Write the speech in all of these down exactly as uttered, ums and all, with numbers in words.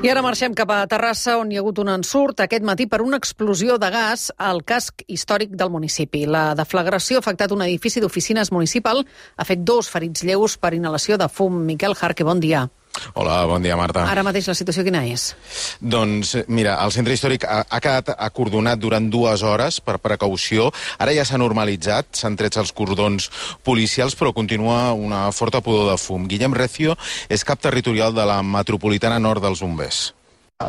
I ara marxem cap a Terrassa, on hi ha hagut un ensurt aquest matí per una explosió de gas al casc històric del municipi. La deflagració ha afectat un edifici d'oficines municipal, ha fet dos ferits lleus per inhalació de fum. Miquel Jarque, bon dia. Hola, bon dia, Marta. Ara mateix la situació quina és? Doncs, mira, el centre històric ha, ha quedat acordonat durant dues hores per precaució. Ara ja s'ha normalitzat, s'han tret els cordons policials, però continua una forta pudor de fum. Guillem Recio és cap territorial de la Metropolitana Nord dels Bombers.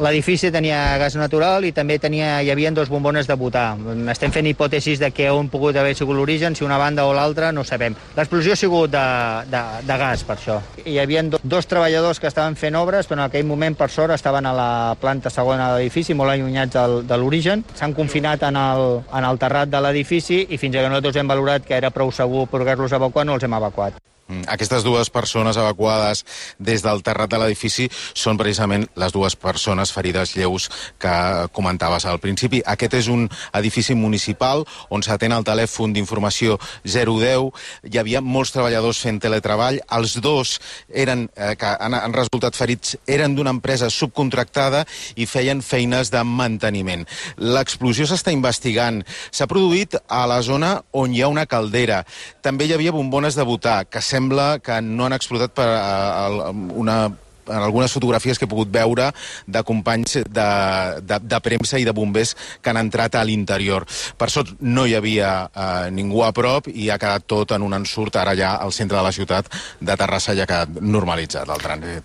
L'edifici tenia gas natural i també tenia, hi havia dos bombones de butà. Estem fent hipòtesis de que on pogut haver sigut l'origen, si una banda o l'altra, no sabem. L'explosió ha sigut de, de, de gas, per això. Hi havia do, dos treballadors que estaven fent obres, però en aquell moment, per sort, estaven a la planta segona de l'edifici, molt allunyats del, de l'origen. S'han confinat en el, en el terrat de l'edifici i fins que nosaltres hem valorat que era prou segur poder-los evacuar, no els hem evacuat. Aquestes dues persones evacuades des del terrat de l'edifici són precisament les dues persones ferides lleus que comentaves al principi. Aquest és un edifici municipal on s'atén el telèfon d'informació zero deu. Hi havia molts treballadors fent teletreball. Els dos eren, eh, que han, han resultat ferits eren d'una empresa subcontractada i feien feines de manteniment. L'explosió s'està investigant. S'ha produït a la zona on hi ha una caldera. També hi havia bombones de butà que sembla que no han explotat per uh, una, en algunes fotografies que he pogut veure de companys de, de, de premsa i de bombers que han entrat a l'interior. Per sort no hi havia uh, ningú a prop i ha quedat tot en un ensurt. Ara ja al centre de la ciutat de Terrassa ja ha quedat normalitzat el trànsit.